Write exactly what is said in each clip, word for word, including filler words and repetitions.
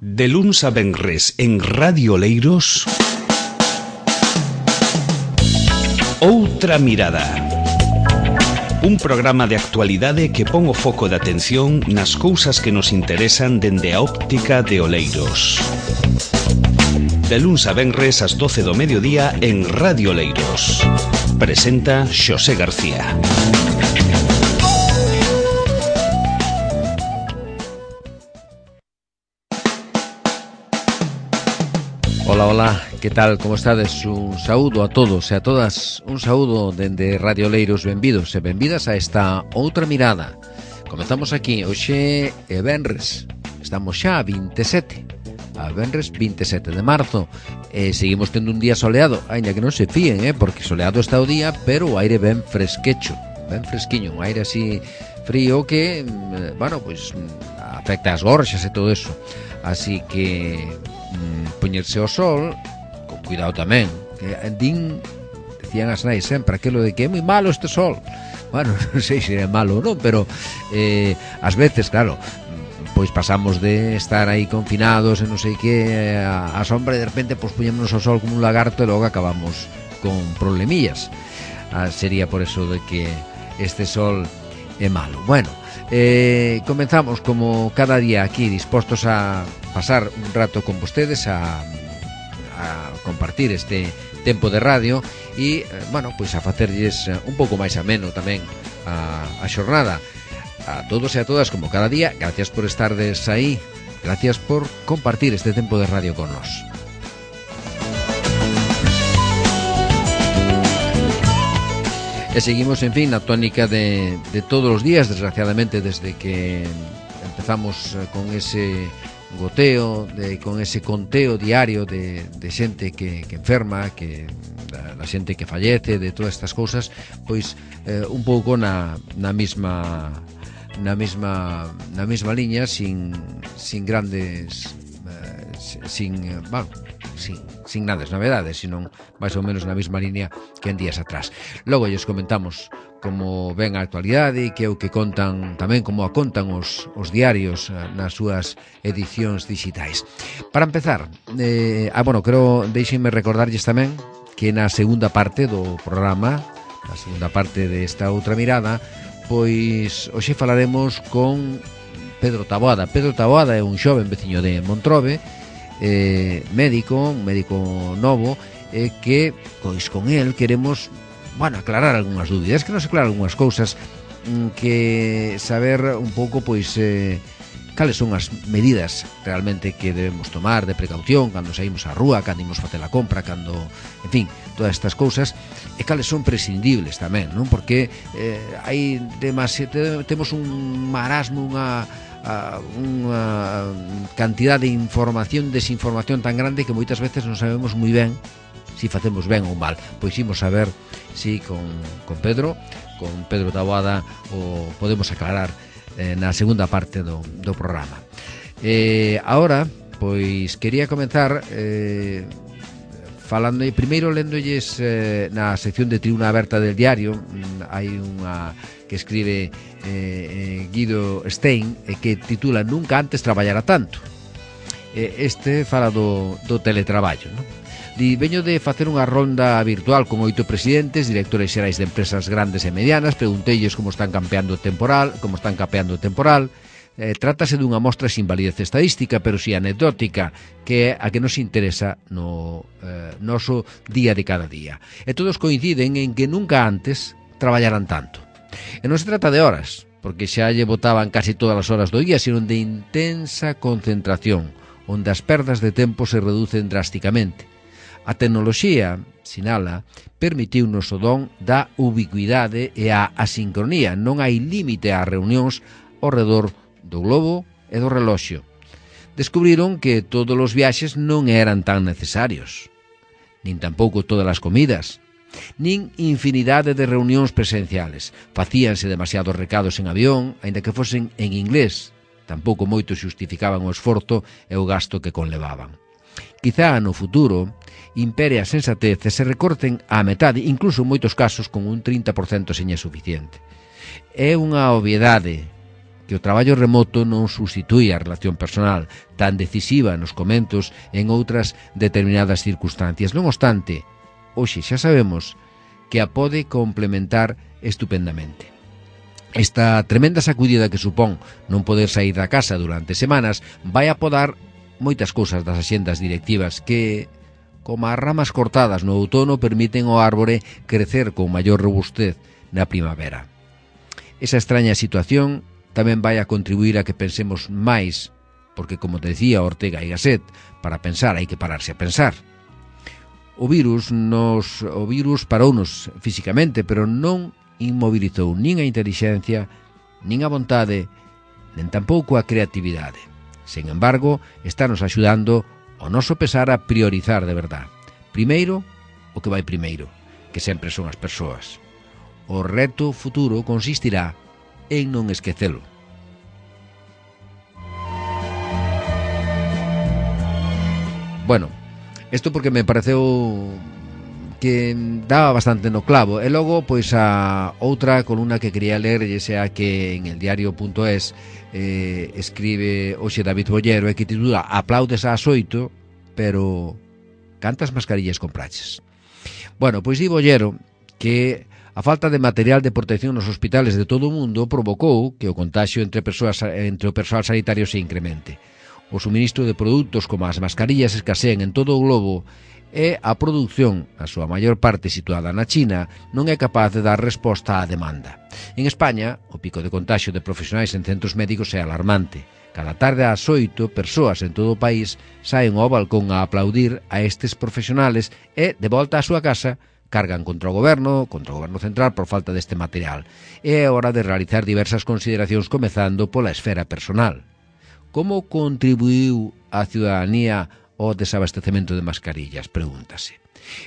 De luns a venres en Radio Oleiros, Outra Mirada. Un programa de actualidade que pon o foco de atención nas cousas que nos interesan dende a óptica de Oleiros. De luns a venres ás doce do mediodía en Radio Oleiros. Presenta Xosé García. Ola, ola, que tal, como estades? Un saúdo a todos e a todas, un saúdo dende Radio Oleiros, benvidos e benvidas a esta Outra Mirada. Comezamos aquí, hoxe é venres, estamos xa a vinte e sete, a venres vinte e sete de marzo, e seguimos tendo un día soleado, ainda que non se fíen, eh, porque soleado está o día, pero o aire ben fresquecho, ben fresquiño, un aire así frío que, bueno, pois afecta as gorxas e todo eso, así que poñerse ao sol con cuidado tamén, que din, decían as nais sempre aquilo de que é moi malo este sol. Bueno, non sei se é malo ou non, pero eh, ás veces, claro, pois pasamos de estar aí confinados e non sei que a, a sombra e de repente pois poñémonos ao sol como un lagarto e logo acabamos con problemillas. Ah, sería por eso de que este sol é malo. Bueno, Eh, comenzamos como cada día aquí dispostos a pasar un rato con vostedes, a, a compartir este tempo de radio e, eh, bueno, pois a facerlles un pouco máis ameno tamén a, a xornada. A todos e a todas, como cada día, gracias por estardes aí, gracias por compartir este tempo de radio con nós. E seguimos, en fin, na tónica de, de todos os días, desgraciadamente, desde que empezamos con ese goteo, de, con ese conteo diario de, de xente que, que enferma, que da xente que fallece, de todas estas cousas, pois eh, un pouco na, na mesma na mesma na mesma liña, sin, sin grandes eh, sin, eh, bueno, sin, sin grandes novedades, sino máis ou menos na mesma línea que en días atrás. Logo lles comentamos como ven a actualidade e que é o que contan tamén, como a contan os, os diarios nas súas edicións digitais. Para empezar, eh, ah, bueno, creo, deixenme recordarlles tamén que na segunda parte do programa, na segunda parte desta Outra Mirada, pois hoxe falaremos con Pedro Taboada. Pedro Taboada é un xoven veciño de Montrobe, eh, médico, un médico novo, eh, que pois con el queremos, bueno, aclarar algunhas dúbidas, que nos aclarar algunhas cousas, que saber un pouco pois eh, cales son as medidas realmente que debemos tomar de precaución cando saímos á rúa, cando imos facer a compra, cando, en fin, todas estas cousas, e cales son prescindibles tamén, non? Porque eh, hai demasiado, temos un marasmo, unha a unha cantidad de información, desinformación tan grande que moitas veces non sabemos moi ben si facemos ben ou mal. Pois imos a ver si con, con Pedro, con Pedro Taboada, o podemos aclarar eh, na segunda parte do, do programa. Eh, ahora, pois quería comenzar eh, falando, e primeiro lendolles eh, na sección de Tribuna Aberta del Diario. Hai unha que escribe eh, Guido Stein e que titula Nunca antes traballara tanto. eh, Este fala do, do teletraballo, non? Di, veño de facer unha ronda virtual con oito presidentes, directores xerais de empresas grandes e medianas. Pregunteilles como están campeando o temporal, como están capeando o temporal. Eh, trátase dunha mostra sin validez estadística, pero si anecdótica, que é a que nos interesa no eh, noso día de cada día. E todos coinciden en que nunca antes traballaran tanto. E non se trata de horas, porque xa lle botaban casi todas as horas do día, sino de intensa concentración, onde as perdas de tempo se reducen drásticamente. A tecnoloxía, sinala, permitiunos o don da ubicuidade e a asincronía. Non hai límite ás reunións ao redor do globo e do reloxo. Descubriron que todos os viaxes non eran tan necesarios, nin tampouco todas as comidas, nin infinidade de reunións presenciales. Facíanse demasiados recados en avión, aínda que fosen en inglés. Tampouco moitos xustificaban o esforzo e o gasto que conlevaban. Quizá no futuro impere a sensatez e se recorten á metade, incluso en moitos casos con un trinta por cento seña suficiente. É unha obviedade, que o traballo remoto non substitúe a relación personal tan decisiva nos comentos en outras determinadas circunstancias. Non obstante, hoxe xa sabemos que a pode complementar estupendamente. Esta tremenda sacudida que supón non poder sair da casa durante semanas vai a podar moitas cousas das axendas directivas que, como as ramas cortadas no outono, permiten ao árbore crecer con maior robustez na primavera. Esa extraña situación tamén vai a contribuir a que pensemos máis, porque, como decía Ortega y Gasset, para pensar hai que pararse a pensar. O virus nos o virus parounos físicamente, pero non inmobilizou nin a intelixencia, nin a vontade, nen tampouco a creatividade. Sen embargo, está nos axudando ao noso pesar a priorizar de verdad. Primeiro, o que vai primeiro, que sempre son as persoas. O reto futuro consistirá en non esquecelo. Bueno, isto porque me pareceu que daba bastante no clavo. E logo, pois, a outra columna que quería ler, e sea que en el diario punto es eh, escribe hoxe David Bollero, e que titula Aplaudes ás oito, pero cantas mascarillas compraches? Bueno, pois di Bollero que a falta de material de protección nos hospitales de todo o mundo provocou que o contagio entre persoas entre o persoal sanitario se incremente. O suministro de produtos como as mascarillas escaseen en todo o globo e a produción, a súa maior parte situada na China, non é capaz de dar resposta á demanda. En España, o pico de contagio de profesionais en centros médicos é alarmante. Cada tarde ás oito, persoas en todo o país saen ao balcón a aplaudir a estes profesionales e, de volta á súa casa, cargan contra o goberno, contra o goberno central por falta deste material. É hora de realizar diversas consideracións comezando pola esfera personal. Como contribuiu a ciudadanía ao desabastecemento de mascarillas? Pregúntase.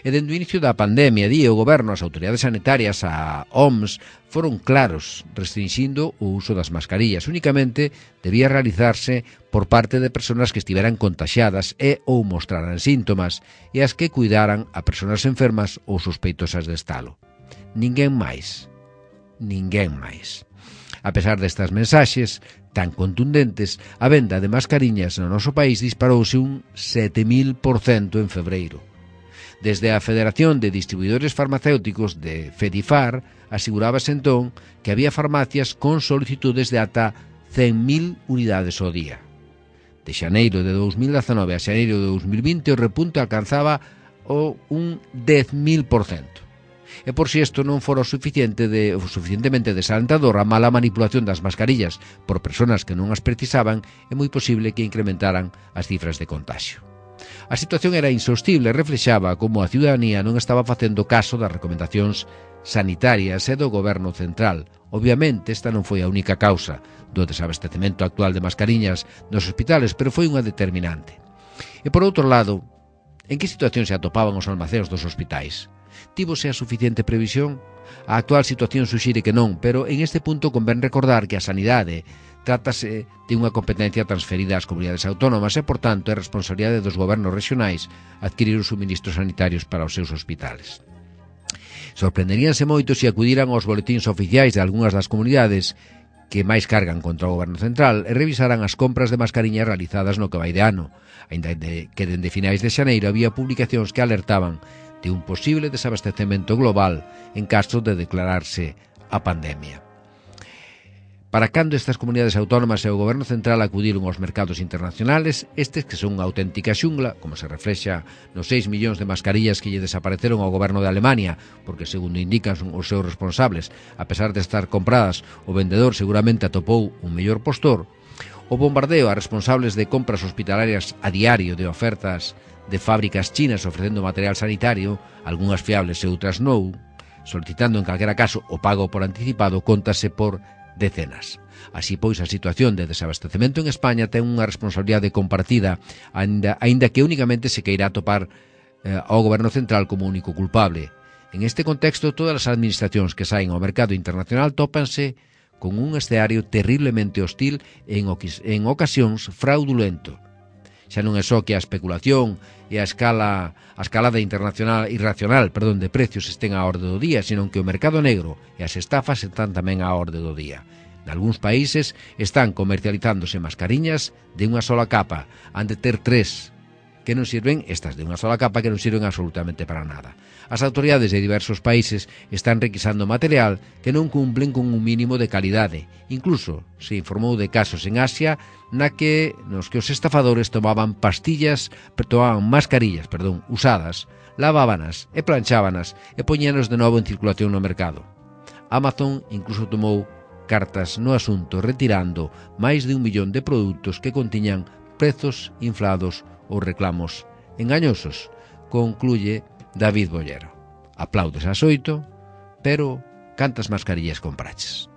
E dende o inicio da pandemia, di o goberno, as autoridades sanitarias, a O M S, foron claros, restringindo o uso das mascarillas. Únicamente debía realizarse por parte de persoas que estiveran contaxiadas e ou mostraran síntomas e as que cuidaran a persoas enfermas ou sospeitosas de estalo. Ninguén máis. Ninguén máis. A pesar destas mensaxes tan contundentes, a venda de mascariñas no noso país disparouse un sete mil por cento en febreiro. Desde a Federación de Distribuidores Farmacéuticos de FEDIFAR asegurábase entón que había farmacias con solicitudes de ata cen mil unidades ao día. De xaneiro de dous mil dezanove a xaneiro de dous mil vinte o repunte alcanzaba o un dez mil por cento. E por si isto non fora o suficiente de, o suficientemente desalentador, a mala manipulación das mascarillas por persoas que non as precisaban, é moi posible que incrementaran as cifras de contagio. A situación era insostible e reflexaba como a ciudadanía non estaba facendo caso das recomendacións sanitarias e do goberno central. Obviamente, esta non foi a única causa do desabastecemento actual de mascariñas nos hospitales, pero foi unha determinante. E por outro lado, en que situación se atopaban os almacéns dos hospitais? Tívose a suficiente previsión? A actual situación suxire que non, pero en este punto convén recordar que a sanidade trátase de unha competencia transferida ás comunidades autónomas e, por tanto, é responsabilidade dos gobernos regionais adquirir os suministros sanitarios para os seus hospitales. Sorprenderíanse moito se acudiran aos boletíns oficiais de algunhas das comunidades que máis cargan contra o goberno central e revisaran as compras de mascariñas realizadas no que vai de ano, aínda que dende finais de xaneiro había publicacións que alertaban de un posible desabastecemento global en caso de declararse a pandemia. Para cando estas comunidades autónomas e o goberno central acudiron aos mercados internacionales, estes que son unha auténtica xungla, como se reflexa nos seis millóns de mascarillas que lle desapareceron ao goberno de Alemania, porque, segundo indican os seus responsables, a pesar de estar compradas, o vendedor seguramente atopou un mellor postor, o bombardeo a responsables de compras hospitalarias a diario de ofertas de fábricas chinas ofrecendo material sanitario, algunhas fiables e outras non, solicitando en calquera caso o pago por anticipado, contase por decenas. Así pois, a situación de desabastecemento en España ten unha responsabilidade compartida, aínda, aínda que únicamente se queira atopar eh, ao goberno central como único culpable. En este contexto, todas as administracións que saen ao mercado internacional tópanse con un escenario terriblemente hostil e en, en ocasións fraudulento. Xa non é só que a especulación e a escala a escalada internacional irracional, perdón, de precios estén á orde do día, sino que o mercado negro e as estafas están tamén á orde do día. Nalgúns países están comercializándose mascariñas de unha sola capa, han de ter tres, que non sirven, estas de unha sola capa, que non sirven absolutamente para nada. As autoridades de diversos países están requisando material que non cumplen con un mínimo de calidade. Incluso se informou de casos en Asia na que nos que os estafadores tomaban pastillas, tomaban mascarillas, perdón, usadas, lavábanas e planchábanas e poñíanos de novo en circulación no mercado. Amazon incluso tomou cartas no asunto, retirando máis de un millón de produtos que contiñan prezos inflados ou reclamos engañosos, concluye David Bollero. Aplaudes ás oito, pero cantas mascarillas compraches?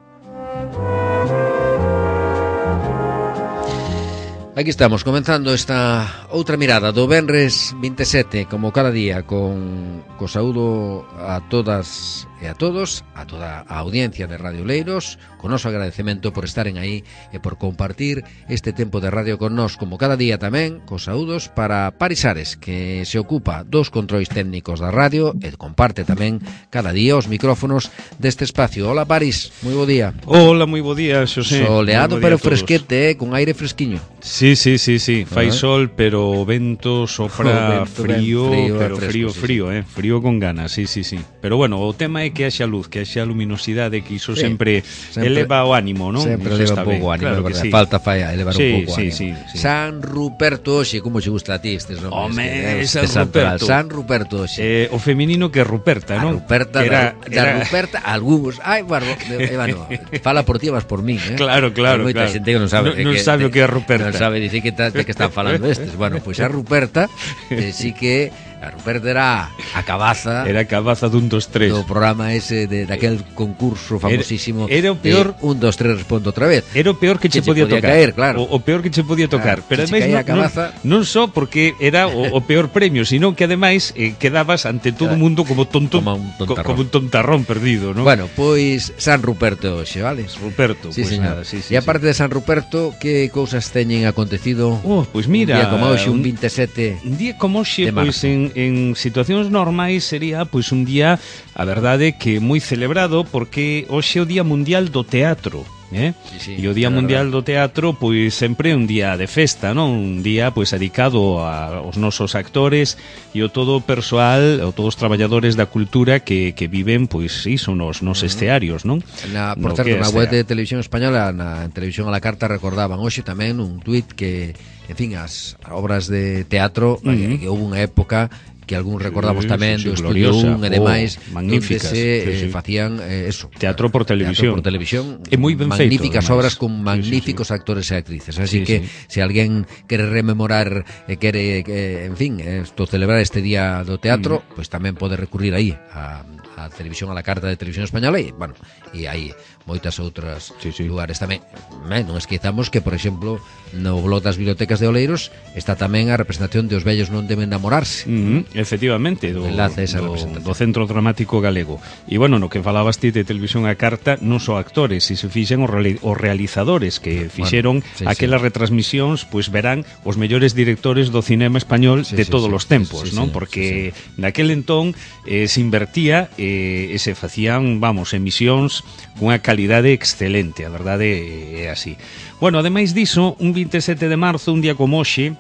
Aquí estamos, comenzando esta outra mirada do venres vinte e sete, como cada día, con co saúdo a todas e a todos, a toda a audiencia de Radio Oleiros, con noso agradecemento por estaren aí e por compartir este tempo de radio con nós, como cada día tamén, cos saúdos para Paris Ares, que se ocupa dos controis técnicos da radio e comparte tamén cada día os micrófonos deste espacio. Hola Paris, moi bo día. Hola, moi bo día, Xosé. Soleado pero fresquete, eh, con aire fresquiño. Sí, sí, sí, sí, fai uh-huh. sol, pero o vento sopra vento, frío, frío, pero fresco, frío, sí, frío, sí. eh, frío con ganas, sí, sí, sí. Pero bueno, o tema é que haxa luz, que haxa luminosidade, que iso sí, sempre, sempre eleva o ánimo, non? Sempre eleva un pouco o ánimo, claro, sí. Falta falla elevar sí, un pouco o sí, ánimo. Sí, sí. San Ruperto hoxe, como che gusta a ti estes nomes? Home, que, San Ruperto. San Ruperto hoxe. Eh, o feminino que é Ruperta, non? Ruperta, que era, da, era... da Ruperta, algúns. Ai, bueno, eh, bueno, fala por ti, vas por mí, eh? Claro, claro, Hay moita claro. xente que non sabe, non, non que, sabe o que é Ruperta. Non sabe dicir que, ta, de que están falando estes. Bueno, pois pues a Ruperta, eh, sí que a Ruperta era a cabaza. Era a cabaza dun dos tres. Do programa ese de daquel concurso famosísimo. Era, era o peor. un, dos, tres, respondo outra vez. Era o peor que, que che podía, podía tocar. Caer, claro. O, o peor que che podía tocar. Claro, pero ademais non, cabaza... non, non só porque era o, o peor premio, sino que ademais eh, quedabas ante todo o mundo como tonto, como un tontarrón, como un tontarrón perdido, ¿no? Bueno, pois San Ruperto hoxe, vale? Ruperto, sí, pues señor. Nada, sí, sí, e aparte sí. de San Ruperto, que cousas teñen acontecido? Oh, pois pues mira, un día como hoxe, un vinte e sete un día como hoxe, pois pues en, en situacións normais sería pois pues un día, a verdade, que moi celebrado, porque hoxe é o Día Mundial do Teatro. Eh? Sí, sí, e o Día Mundial do Teatro pois sempre é un día de festa, non? Un día pois dedicado a, aos nosos actores e o todo o persoal, o todos os traballadores da cultura que, que viven pois iso nos, nos estearios, non? Na, por no certo, na web de Televisión Española, na Televisión a la Carta, recordaban hoxe tamén un tuit que, en fin, as obras de teatro, uh-huh. eh, que houve unha época que algún recordamos sí, tamén sí, sí, do Estudio un e demais, oh, magníficas, onde se sí, eh, sí. facían eh, eso, teatro por televisión, teatro por televisión, é moi ben magníficas feito, obras con magníficos sí, sí, sí. actores e actrices, así sí, que sí. se alguén quere rememorar e eh, quere, eh, en fin, esto, celebrar este día do teatro, mm. pois pues tamén pode recurrir aí a a Televisión a la Carta de Televisión Española e, bueno, e hai moitas outras sí, sí. lugares tamén. Ben, non esquezamos que, por exemplo, no blog das bibliotecas de Oleiros está tamén a representación de Os vellos non deben namorarse. Mm-hmm, efectivamente, do, esa do, do Centro Dramático Galego. E, bueno, no que falabas ti de Televisión a Carta, non só actores, se se fixen os, reali os realizadores que fixeron bueno, sí, aquelas sí. retransmisións, pois pues verán os mellores directores do cinema español sí, de sí, todos sí, os tempos, sí, non? Sí, porque sí, sí. naquel entón eh, se invertía e eh, se facían, vamos, emisións cunha calidade excelente, a verdade é así. Bueno, ademais diso, un vinte e sete de marzo, un día como hoxe,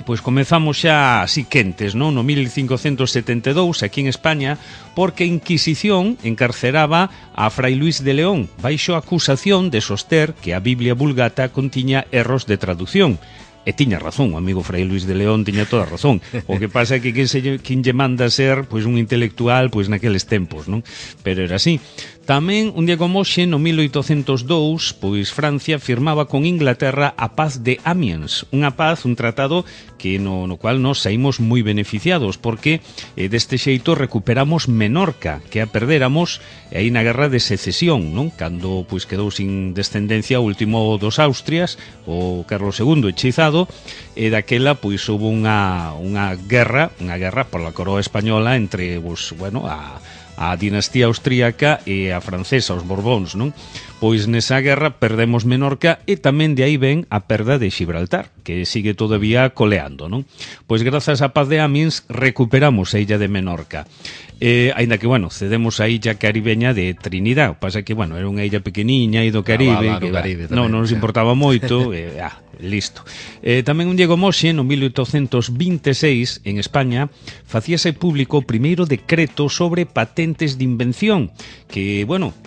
pois comezamos xa así quentes, non? No mil cincocentos setenta e dous, aquí en España, porque a Inquisición encarceraba a Fray Luis de León baixo acusación de soster que a Biblia Vulgata contiña erros de traducción. E tiña razón, o amigo Fray Luis de León tiña toda a razón. O que pasa é que quen, se, quen lle manda ser pois un intelectual pois naqueles tempos, non? Pero era así. Tamén, un día como hoxe, no mil oitocentos dous, pois Francia firmaba con Inglaterra a paz de Amiens, unha paz, un tratado que no, no cual nos saímos moi beneficiados, porque eh, deste xeito recuperamos Menorca, que a perdéramos aí na guerra de secesión, non? Cando pois quedou sin descendencia o último dos Austrias, o Carlos segundo hechizado, e daquela pois houve unha, unha guerra, unha guerra pola coroa española entre, pois, bueno, a a dinastía austríaca e a francesa, os Borbóns, non? Pois nesa guerra perdemos Menorca e tamén de aí ven a perda de Gibraltar, que sigue todavía coleando, non? Pois grazas á paz de Amiens recuperamos a illa de Menorca. Eh, ainda que, bueno, cedemos a illa caribeña de Trinidad. O pasa que, bueno, era unha illa pequeniña e do Caribe, ah, va, va, que, Caribe va, non, non nos importaba moito, eh, ah, listo. Eh, tamén un Diego Moxe, no mil oitocentos vinte e seis, en España, facíase público o primeiro decreto sobre patentes de invención, que, bueno,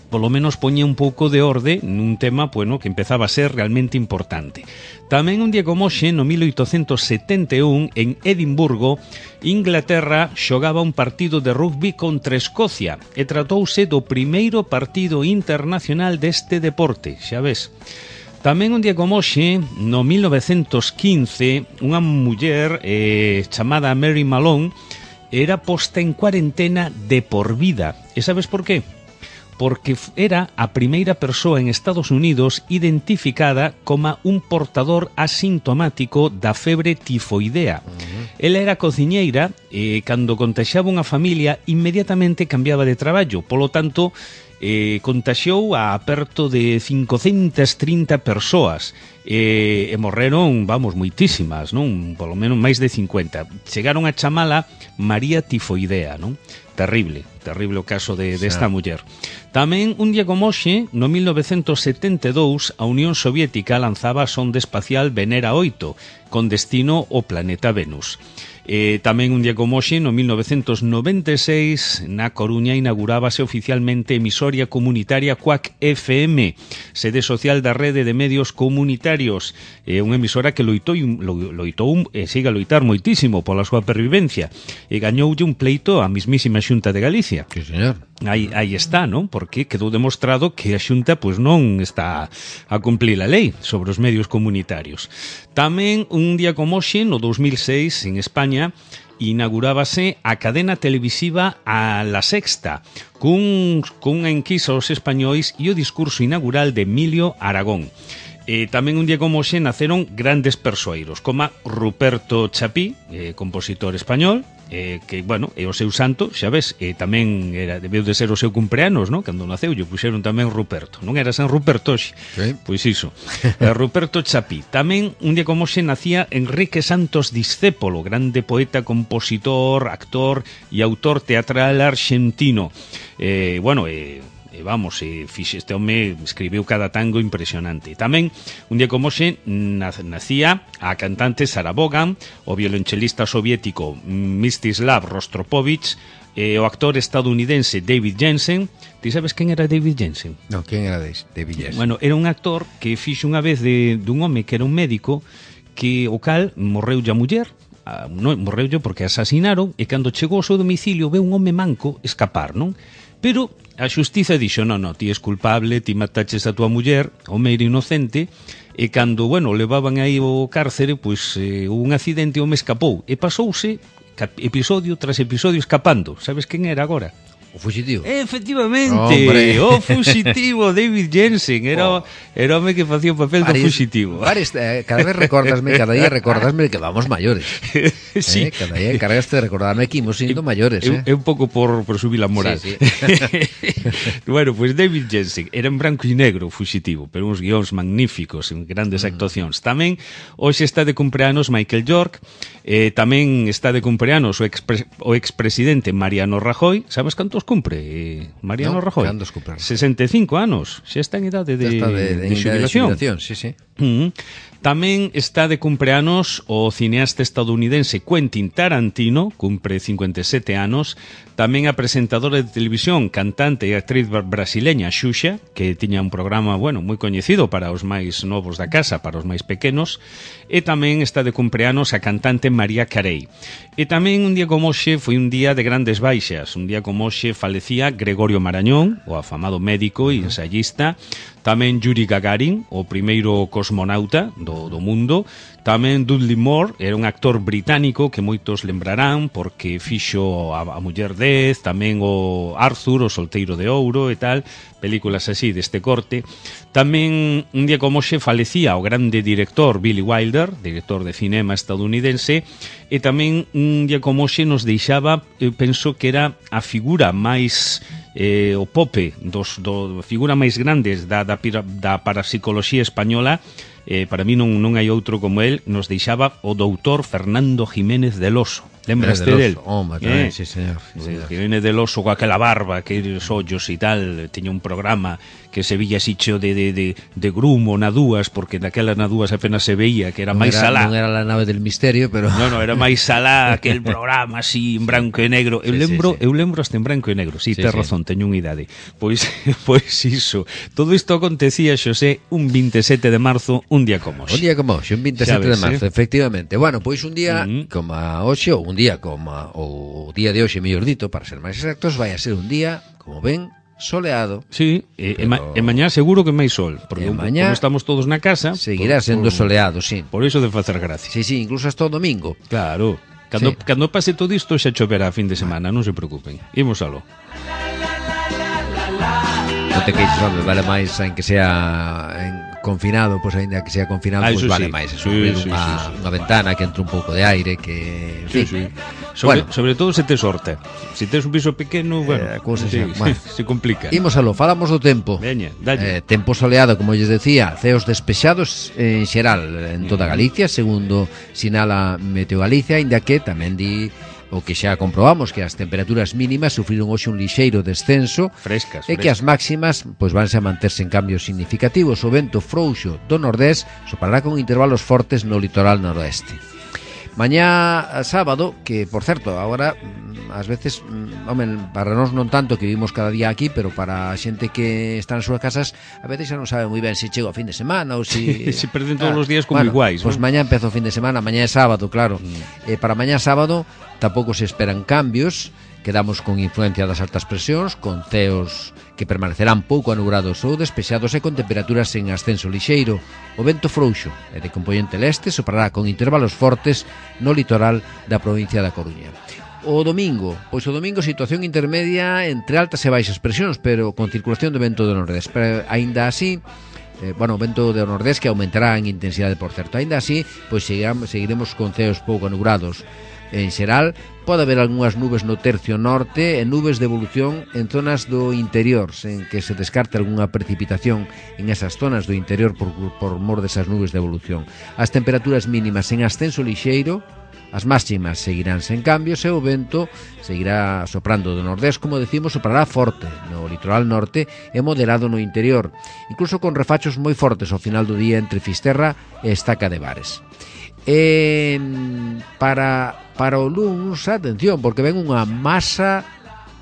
polo menos poñía un pouco de orde nun tema, bueno, que empezaba a ser realmente importante. Tamén un Diego Moxe, no mil oitocentos setenta e un, en Edimburgo, Inglaterra xogaba un partido de rugby contra Escocia e tratouse do primeiro partido internacional deste deporte, xa ves. Tamén un Diego Moxe, no mil novecentos quince, unha muller eh, chamada Mary Malone era posta en cuarentena de por vida. E sabes por qué? Porque era a primeira persoa en Estados Unidos identificada como un portador asintomático da febre tifoidea. Uh-huh. Ela era cociñeira e cando contaxiaba unha familia inmediatamente cambiaba de traballo, polo tanto eh, contaxiou a aperto de cincocentas trinta persoas e, e morreron, vamos, moitísimas, non? Polo menos máis de cincuenta. Chegaron a chamala María Tifoidea, non? Terrible, terrible o caso de desta muller. Tamén un Diego Moxe, no mil novecentos setenta e dous, a Unión Soviética lanzaba a sonda espacial Venera oito, con destino ao planeta Venus. Eh, tamén un Diego Moxe, no mil novecentos noventa e seis, na Coruña inaugurábase oficialmente emisoria comunitaria Cuac F M, sede social da rede de medios comunitarios, eh, unha emisora que loitou, loitou e siga a loitar moitísimo pola súa pervivencia, e gañoulle un pleito á mismísima Xunta de Galicia. Sí, señor. Aí, aí está, non? Porque quedou demostrado que a Xunta pois non está a cumplir a lei sobre os medios comunitarios. Tamén un día como hoxe, no dos mil seis, en España, inaugurábase a cadena televisiva a La Sexta, cun, cunha enquisa aos españois e o discurso inaugural de Emilio Aragón. E tamén un día como hoxe naceron grandes persoeiros, como Ruperto Chapí, eh, compositor español, eh, que, bueno, é o seu santo, xa ves, e tamén era, debeu de ser o seu cumpleanos, non? Cando naceu, lle puxeron tamén Ruperto. Non era San Ruperto hoxe? Sí. Pois iso. eh, Ruperto Chapí. Tamén un día como hoxe nacía Enrique Santos Discépolo, grande poeta, compositor, actor e autor teatral argentino. Eh, bueno, eh, E vamos, e fixe, este home escribiu cada tango impresionante. Tamén, un día como hoxe, nacía a cantante Sarah Vaughan, o violonchelista soviético Mstislav Rostropovich, e o actor estadounidense David Jensen. Ti sabes quen era David Jensen? Non, quen era David Jensen? Bueno, era un actor que fixe unha vez de, dun home que era un médico, que o cal morreu a muller, non, morreu porque asasinaron, e cando chegou ao seu domicilio ve un home manco escapar, non? Pero a xustiza dixo, non, non, ti és culpable, ti mataches a tua muller, home era inocente, e cando, bueno, levaban aí ao cárcere, pois eh, un accidente, o home escapou, e pasouse episodio tras episodio escapando. Sabes quen era agora? O fuxitivo. Efectivamente, oh, o fuxitivo David Jensen, era, oh. era o home que facía o papel Paris, do fuxitivo. Paris, eh, cada vez recordasme, cada día recordasme que vamos maiores. Sí. Eh, cada día encargaste de recordarme que imos siendo maiores. É eh? un pouco por, por subir a moral. Sí, sí. Bueno, pues David Jensen era en branco e negro o fuxitivo, pero uns guións magníficos, en grandes mm. actuacións. Tamén hoxe está de cumpleanos Michael York, eh, tamén está de cumpleanos o, expre, o expresidente Mariano Rajoy. Sabes cantos cumpre Mariano no, Rajoy? sesenta e cinco anos, xa está en idade de, está de, de, de xubilación. De xubilación, sí, sí. Uh-huh. Tamén está de cumpleanos o cineasta estadounidense Quentin Tarantino, cumpre cincuenta e sete anos. Tamén a presentadora de televisión, cantante e actriz brasileña Xuxa, que tiña un programa, bueno, moi coñecido para os máis novos da casa, para os máis pequenos. E tamén está de cumpleanos a cantante María Carey. E tamén un día como hoxe foi un día de grandes baixas. Un día como hoxe falecía Gregorio Marañón, o afamado médico e ensayista. Tamén Yuri Gagarin, o primeiro cosmonauta do, do mundo. Tamén Dudley Moore, era un actor británico que moitos lembrarán porque fixo a, a Muller dez, tamén o Arthur, o Solteiro de Ouro e tal, películas así deste corte. Tamén un día como hoxe falecía o grande director Billy Wilder, director de cinema estadounidense, e tamén un día como hoxe nos deixaba, eu penso que era a figura máis eh, o Pope, dos, do figura máis grandes da, da, da parapsicoloxía española, eh, para mí non, non hai outro como el, nos deixaba o doutor Fernando Jiménez del Oso. Lembraste del? Home, tamén, eh, sí, señor. Sí, señor. Jiménez del Oso coa aquela barba, aqueles ollos e tal, tiña un programa que se villa así cheo de, de, de, de grumo na dúas, porque naquela na dúas apenas se veía, que era non máis era, salá. Non era la nave del misterio, pero... No, no, era máis salá, aquel programa así en branco e negro. Eu sí, lembro, sí, sí. eu lembro hasta en branco e negro. Si, sí, sí, tes sí. razón, teño unha idade. Pois, pois iso. Todo isto acontecía, Xosé, un veintisiete de marzo, un día como hoxe. Un día como hoxe, un veintisiete de marzo, eh? Efectivamente. Bueno, pois un día uh-huh. como hoxe, ou un día como o día de hoxe, mellor dito, para ser máis exactos, vai a ser un día, como ven, soleado. Sí, e, pero... e, ma, e mañá seguro que máis sol, porque mañá, como estamos todos na casa, seguirá por, sendo por, soleado, sí. Por iso de facer gracia. Sí, sí, incluso hasta o domingo. Claro. Cando, sí. cando pase todo isto xa choverá a fin de semana, non se preocupen. Imos aló. Non te queixes, home, vale máis en que sea en confinado, pois pues, ainda que sea confinado, ah, pois pues, vale sí. máis. Sí, abrir sí, unha, sí, sí. unha ventana que entre un pouco de aire, que... En sí, fin. sí. Sobre, bueno. sobre todo se te sorte. Se tes un piso pequeno, bueno, eh, cousa sí, bueno. se complica. Imos aló, falamos do tempo. Veña, dalle. Eh, tempo soleado, como lles decía, ceos despexados en xeral en toda Galicia, segundo sinala Meteo Galicia, inda que tamén di o que xa comprobamos que as temperaturas mínimas sufriron hoxe un lixeiro descenso frescas, e que as máximas pois vanse a manterse en cambios significativos. O vento frouxo do nordés soprará con intervalos fortes no litoral noroeste. Mañá sábado, que por certo, agora ás veces, home, para nós non tanto que vivimos cada día aquí, pero para a xente que está nas súas casas, a veces xa non sabe moi ben se chega o fin de semana ou se... se perden todos ah, os días como bueno, iguais, pois pues ¿no? Mañá empeza o fin de semana, mañá é sábado, claro. Mm. Eh, para mañá sábado tampouco se esperan cambios, quedamos con influencia das altas presións, con ceos que permanecerán pouco anubrados ou despexados e con temperaturas en ascenso lixeiro. O vento frouxo e de componente leste soprará con intervalos fortes no litoral da provincia da Coruña. O domingo, pois o domingo situación intermedia entre altas e baixas presións, pero con circulación de vento do nordés. Pero aínda así, eh, bueno, o vento do nordés que aumentará en intensidade, por certo. Aínda así, pois seguiremos con ceos pouco anubrados. En xeral, pode haber algunhas nubes no tercio norte e nubes de evolución en zonas do interior, sen que se descarte algunha precipitación en esas zonas do interior por, por mor desas nubes de evolución. As temperaturas mínimas en ascenso lixeiro, as máximas seguirán sen cambios e o vento seguirá soprando do nordés, como decimos, soprará forte no litoral norte e moderado no interior, incluso con refachos moi fortes ao final do día entre Fisterra e Estaca de Bares. E para, para o luns, atención, porque ven unha masa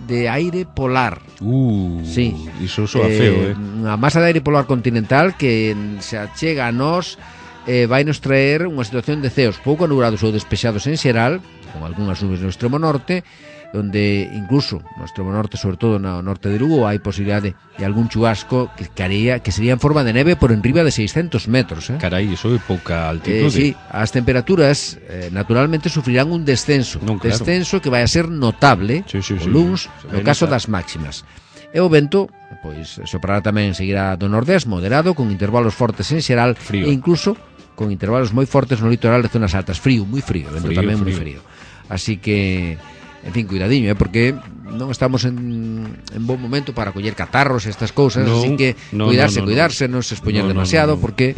de aire polar. Uh, sí. Iso soa feo, eh? Unha masa de aire polar continental que se achega a nós, eh, vai nos traer unha situación de ceos pouco anubrados ou despexados en xeral, con algunhas nubes no extremo norte, onde incluso no extremo norte, sobre todo no norte de Lugo, hai posibilidade de algún chubasco que, caría, que sería en forma de neve por enriba de seiscentos metros. Eh? Carai, iso é pouca altitude. Eh, sí, as temperaturas eh, naturalmente sufrirán un descenso, non, claro. descenso que vai a ser notable sí, sí, o sí, luns, sí, no caso notar. Das máximas. E o vento, pois, soprará tamén, seguirá do nordés, moderado, con intervalos fortes en xeral, frío. E incluso con intervalos moi fortes no litoral de zonas altas. Frío, moi frío, vento frío, tamén moi frío. Así que, en fin, cuidadiño, eh, porque non estamos en, en bon momento para coller catarros e estas cousas, no, así que no, cuidarse, no, no, cuidarse, non se expoñer no, demasiado, no, no, no. porque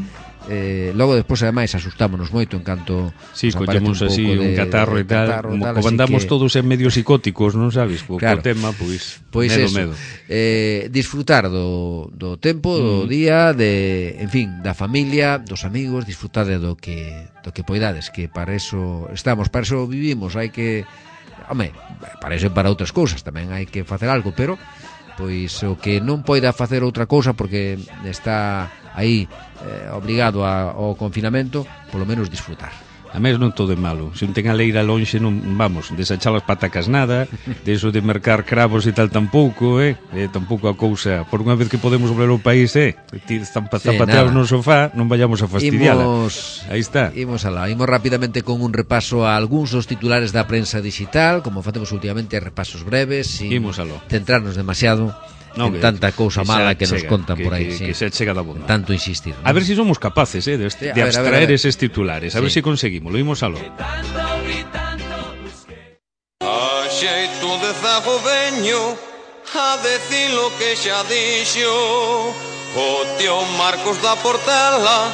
eh, logo despois ademais asustámonos moito en canto sí, collemos un así un catarro e tal, catarro, como, tal, como andamos que... todos en medio psicóticos, non sabes, co, claro. co tema, pois, pois medo, eso, medo. Eh, disfrutar do, do tempo, do mm. día, de, en fin, da familia, dos amigos, disfrutade do que do que poidades, que para eso estamos, para eso vivimos, hai que, home, para eso e para outras cousas tamén hai que facer algo, pero pois o que non poida facer outra cousa porque está aí eh, obrigado a, ao confinamento, polo menos disfrutar. A mes non todo é malo. Se un ten a leira lonxe, non, vamos, desachar as patacas nada, de eso de mercar cravos e tal tampouco, eh? eh tampouco a cousa, por unha vez que podemos volver ao país, eh? Zapateados sí, no sofá, non vayamos a fastidiala. Imos, aí está. Imos alá, imos rapidamente con un repaso a algúns dos titulares da prensa digital, como facemos últimamente, repasos breves, sin centrarnos demasiado no, en que, tanta cousa que mala que nos chega, contan que, por aí, que, sí. que se chega da bomba. Tanto insistir, ¿no? A ver si somos capaces, eh, de, de, de abstraer ver, ver, ver. eses titulares, a sí. ver si conseguimos, lo imos aló. A xeito de zago veño, a decir lo que xa dixo o tío Marcos da Portela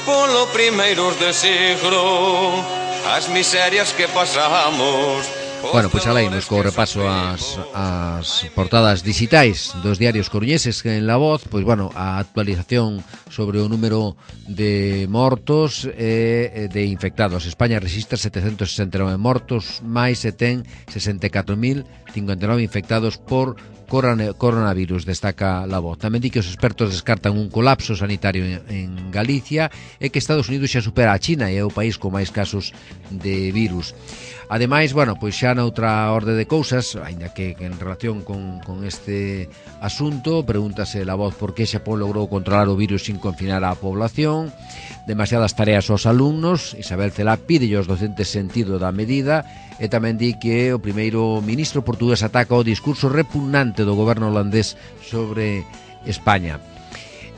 polo primeiros de siglo, as miserias que pasamos. Bueno, pois aleimos co repaso ás, ás portadas digitais dos diarios coruñeses en La Voz. Pois bueno, a actualización sobre o número de mortos e de infectados. España resistre setecentos sesenta e nove mortos, máis e ten sesenta e catro mil cincuenta e nove infectados por coronavirus, destaca La Voz. Tamén di que os expertos descartan un colapso sanitario en Galicia e que Estados Unidos xa supera a China e é o país con máis casos de virus. Ademais, bueno, pois xa noutra orde de cousas, aínda que en relación con, con este asunto, pregúntase La Voz por que Xapón logrou controlar o virus sin confinar a población, demasiadas tareas aos alumnos. Isabel Celá pide aos docentes sentido da medida e tamén di que o primeiro ministro portugués ataca o discurso repugnante do goberno holandés sobre España.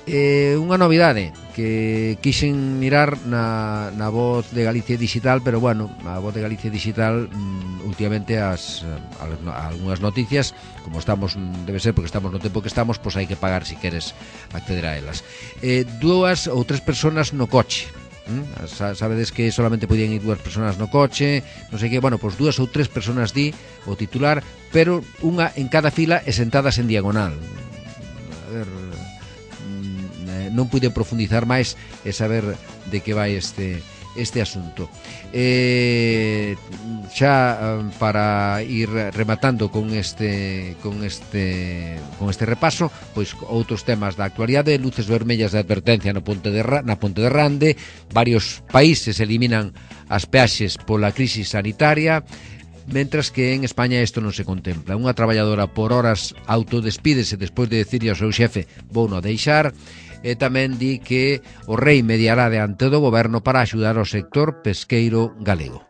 Eh, unha novidade que quixen mirar na, na Voz de Galicia Digital, pero bueno, a Voz de Galicia Digital mm, últimamente as, as, algunhas noticias, como estamos, debe ser porque estamos no tempo que estamos, pois hai que pagar si queres acceder a elas. Eh, dúas ou tres personas no coche. ¿Mm? Sabedes que solamente podían ir dúas personas no coche, non sei que, bueno, pois dúas ou tres personas di o titular, pero unha en cada fila e sentadas en diagonal. A ver, non puiden profundizar máis e saber de que vai este este asunto. Eh, xa para ir rematando con este con este con este repaso, pois outros temas da actualidade, luces vermellas de advertencia no Ponte de na Ponte de Rande, varios países eliminan as peaxes pola crise sanitaria, mentras que en España isto non se contempla. Unha traballadora por horas autodespídese despois de decirle ao seu xefe vou no deixar. E tamén di que o rei mediará diante do goberno para axudar ao sector pesqueiro galego.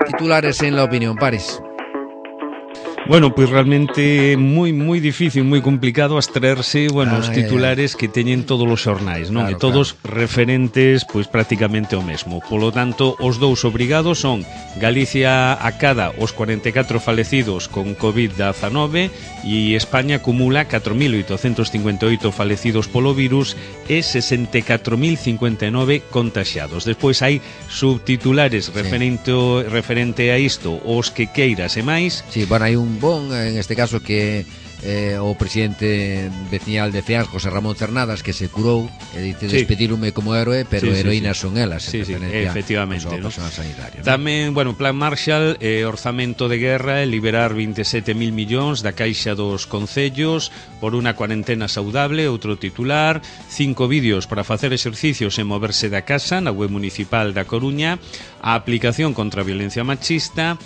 Titulares en La Opinión, Paris. Bueno, pois realmente moi moi difícil, moi complicado abstraerse, bueno, ah, os titulares eh, que teñen todos os xornais, non? Claro, e todos claro. referentes, pois prácticamente o mesmo. Polo tanto, os dous obrigados son Galicia acada os cuarenta e catro falecidos con covid diecinueve e España acumula catro mil oitocentos cincuenta e oito falecidos polo virus e sesenta e catro mil cincuenta e nove contaxiados. Despois hai subtitulares sí. referente, referente a isto, os que queiras e máis. Sí, bueno, hai un bon, en este caso que eh, o presidente veciñal de Feans, José Ramón Cernadas, que se curou e dice sí. despedirume como héroe, pero sí, sí, heroínas sí. son elas, sí, sí, efectivamente, ¿no? Sanitario, ¿no? Tamén, bueno, Plan Marshall, eh, orzamento de guerra e liberar veinte e sete mil millóns da caixa dos concellos por unha cuarentena saudable, outro titular, cinco vídeos para facer exercicios e moverse da casa na web municipal da Coruña, a aplicación contra a violencia machista,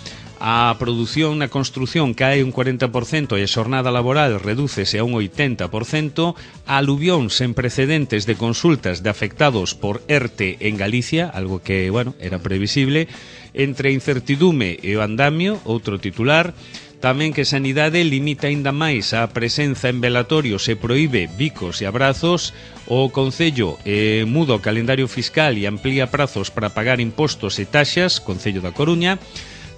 a produción na construción cae un cuarenta por cento e a xornada laboral redúcese a un oitenta por cento, a aluvión sen precedentes de consultas de afectados por ERTE en Galicia, algo que, bueno, era previsible, entre incertidume e o andamio, outro titular, tamén que Sanidade limita aínda máis a presenza en velatorios e proíbe bicos e abrazos, o Concello eh, muda o calendario fiscal e amplía prazos para pagar impostos e taxas, Concello da Coruña.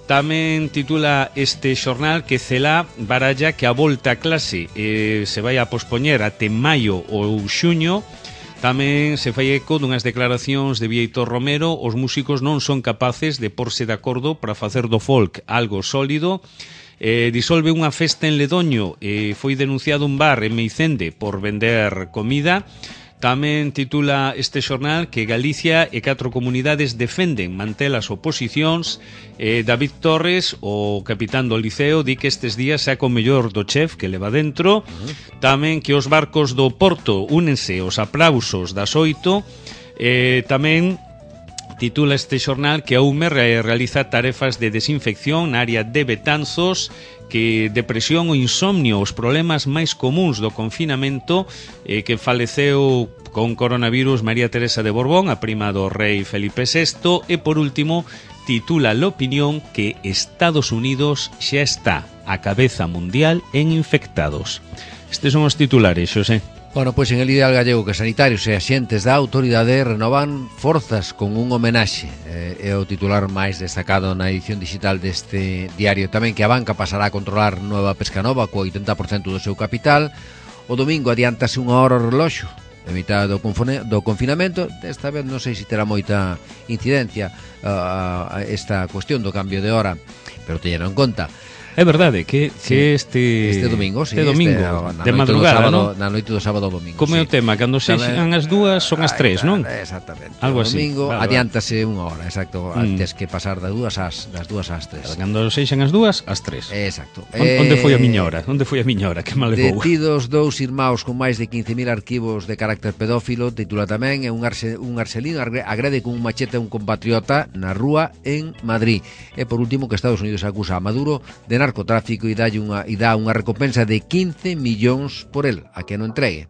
Tamén titula este xornal que Celá baralla que a volta a clase eh, se vai a pospoñer até maio ou xuño. Tamén se fai eco dunhas declaracións de Vieitor Romero, os músicos non son capaces de porse de acordo para facer do folk algo sólido. Eh, disolve unha festa en Ledoño, eh, foi denunciado un bar en Meicende por vender comida. Tamén titula este xornal que Galicia e catro comunidades defenden manter as oposicións. eh, David Torres, o capitán do Liceo, di que estes días saca o mellor do chef que leva dentro. Tamén que os barcos do Porto únense aos aplausos das oito. eh, Tamén titula este xornal que a U M E realiza tarefas de desinfección na área de Betanzos, que depresión ou insomnio, os problemas máis comuns do confinamento, eh, que faleceu con coronavirus María Teresa de Borbón, a prima do rei Felipe sexto, e por último titula La Opinión que Estados Unidos xa está a cabeza mundial en infectados. Estes son os titulares, Xosé. Bueno, pois en el ideal gallego que sanitarios e axentes da autoridade renovan forzas con un homenaxe. Eh, é o titular máis destacado na edición digital deste diario. Tamén que a banca pasará a controlar Nueva Pescanova co oitenta por cento do seu capital. O domingo adiántase unha hora o reloxo en mitad do, do confinamento. Esta vez non sei se terá moita incidencia uh, esta cuestión do cambio de hora, pero teñeno en conta. É verdade que, sí, que este este domingo, sí, este domingo este, de madrugada, sábado, ¿no? Na noite do sábado ao domingo. Como é sí. o tema, cando sexan as dúas son as tres, non? Exactamente. Algo o así. Domingo vale, adiántase vale. unha hora, exacto, mm. antes que pasar das dúas ás das dúas ás tres. Cando sexan as dúas ás tres. Exacto. Eh, onde foi a miña hora? Onde foi a miña hora? Que mal levou. Detidos dous irmãos con máis de quince mil arquivos de carácter pedófilo, titula tamén, é un, arce, un arcelino agrede con un machete a un compatriota na rúa en Madrid. E por último que Estados Unidos acusa a Maduro de narcotráfico e dá unha, e dá unha recompensa de quince millóns por el, a que non entregue.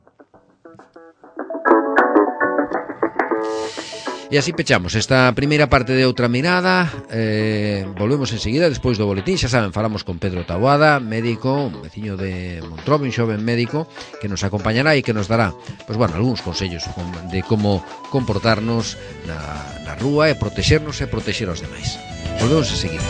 E así pechamos esta primeira parte de Outra Mirada. eh, Volvemos enseguida despois do boletín. Xa saben, falamos con Pedro Taboada, médico, un veciño de Montrobe, un xoven médico que nos acompañará e que nos dará, pois bueno, algúns consellos de como comportarnos na, na rúa e protexernos e protexer aos demais. Volvemos enseguida.